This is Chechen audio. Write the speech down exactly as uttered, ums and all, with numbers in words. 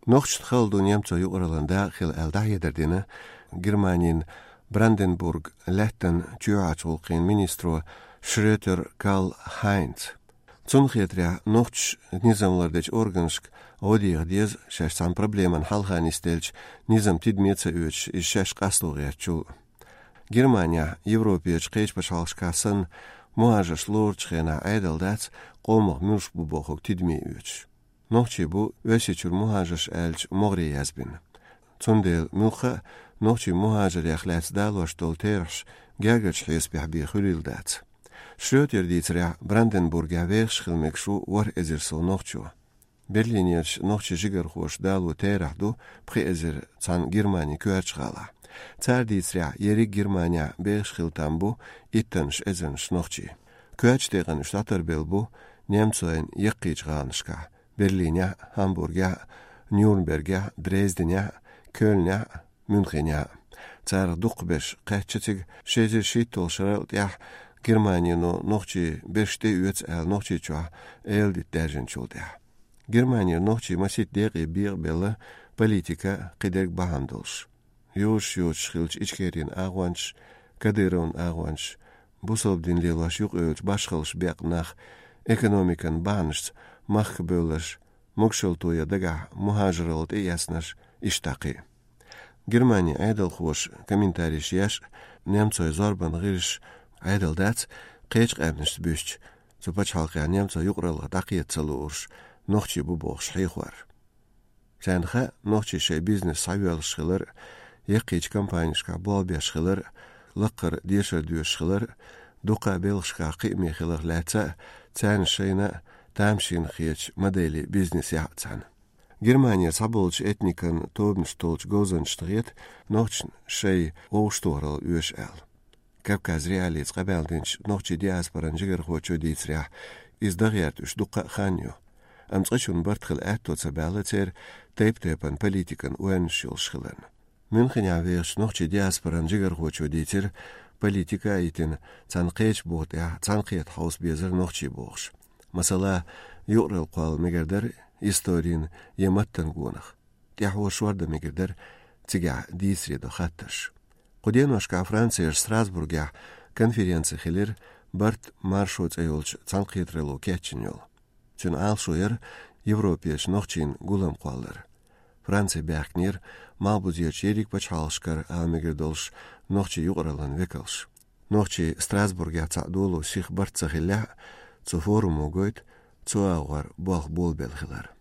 Нохчашта хала ду немцойн юкъараллан дакъа хила аьлла дӀахьедар дина Германин Бранденбург лаьттан чоьхьарчу гӀуллакхийн министро Шрётер Карл Хайнца. Цунна хетарехь, нохчаша низам лардечу органашка гӀо деха деза, шаьш цхьана проблеман хьалха нисделча низам тидаме ца оьцуш, иза шаьш къасто гӀертачул. Германехь, Европерчу кхечу пачхьалкхашкахь санна, мухӀажарш лоручу хенахь Ӏедал дац къомах муьлш бу бохург тидаме оьцуш. Нохчий бу Оьрсийчуьра мухӀажарш аьллачу могӀаре язбина. Цундела муьлхха а нохчий мухӀажарех лаьцна далош долу терахьаш гергарчу хьесапехь бен хуьлийла дац. Шрётеран дийцарехь, Бранденбургехь вехаш хила мегаш ву ворхӀ эзар сов нохчо. Берлинерчу нохчийн жигархоша дало терахь ду пхи эзар цхьана Германин коьртачу гӀалахь. Цара дийцарехь, ерриг Германехь бехаш хила там бу иттаннаш эзарнаш нохчий. Коьртачу декъана уьш дӀатарбелла бу немцойн яккхийчу гӀаланашкахь: Берлинехь а, Гамбургехь а, Нюрнбергехь а, Дрезденехь а, Кёльнехь а, Мюнхенехь а. Царах дукхахберш кхаьчна цига ши эзар шийтталгӀачу шарал тӀаьхьа Германино нохчийн берш тӀеоьцу аьлла Нохчийчохь эладита даьржинчул тӀаьхьа. Германера нохчий масийтта декъе бекъабелла политика а, кхидерг бахьана долуш. Йозуш-йозуш хиллачу Ичкерин агӀончаш, Кадыровн агӀончаш, бусалба дин лелош юкъаевллачу башхаллаш бекъна нах, экономикан бахьанашца махка бевлларш, могушалла тоян дагахь мухӀажаралла тӀеэцнарш, иштта кхин а. Германин Ӏедалхоша комментареш еш а, немцойн зорбанан гӀирсаша Ӏедал дац кхечу къаьмнашца буьстича, цу пачхьалкхехь немцойн юкъараллах дӀакхета ца луурш нохчий бу бохуш хьехор. Царна хаьа нохчий шайн бизнес схьайоьллуш хилар а, яккхийчу компанешкахь болх беш хилар а, лакхара дешар доьшуш хилар а, дуккха а белхашкахь кхиаме хиларх лаьцна а, царна шайна а тамашийна хетачу моделийн бизнесехь а цхьаьна. Германера цхьаболчу этникан тобанаш толлучу говзанчашна хета нохчашна шайн вовшахтохаралла оьшу аьлла. Кавказ.Реалиица къамел динчу нохчийн диаспоран жигархочо дийцарехь, иза дан гӀерта уьш дуккха а хан ю. Амма цкъачунна барт хила аьтто ца баьлла церан тайп-тайпана политикан ойланаш йолуш хиларна. Мюнхенехь вехачу нохчийн диаспоран жигархочо дийцира, политика а йитина, цхьана кхечу буха тӀехь цхьаьнакхета хьовса безара нохчий бохуш. Масала, юкъаралла кхолла мегар дара историн я маттан гонах. ТӀаьхьо шордан мегар дара цигахь дийцаре до хаттарш. Кху деношкахь Францерчу Страсбургехь конференци хилира «Барт маршо» цӀе йолчу цхьаьнакхетаралло кечйина йолу. Цуьнан Ӏалашо яра Европерчу нохчийн гулам кхоллар. Франци баьхкинера малхбузерчу ерриг пачхьалкхашкара ала мегар долуш нохчийн юкъараллан векалш. Нохчий Страсбургехь цхьаъ долу сиха барт ца хиллехь а, цу форумо гойту цу агӀор болх болабелла хилар.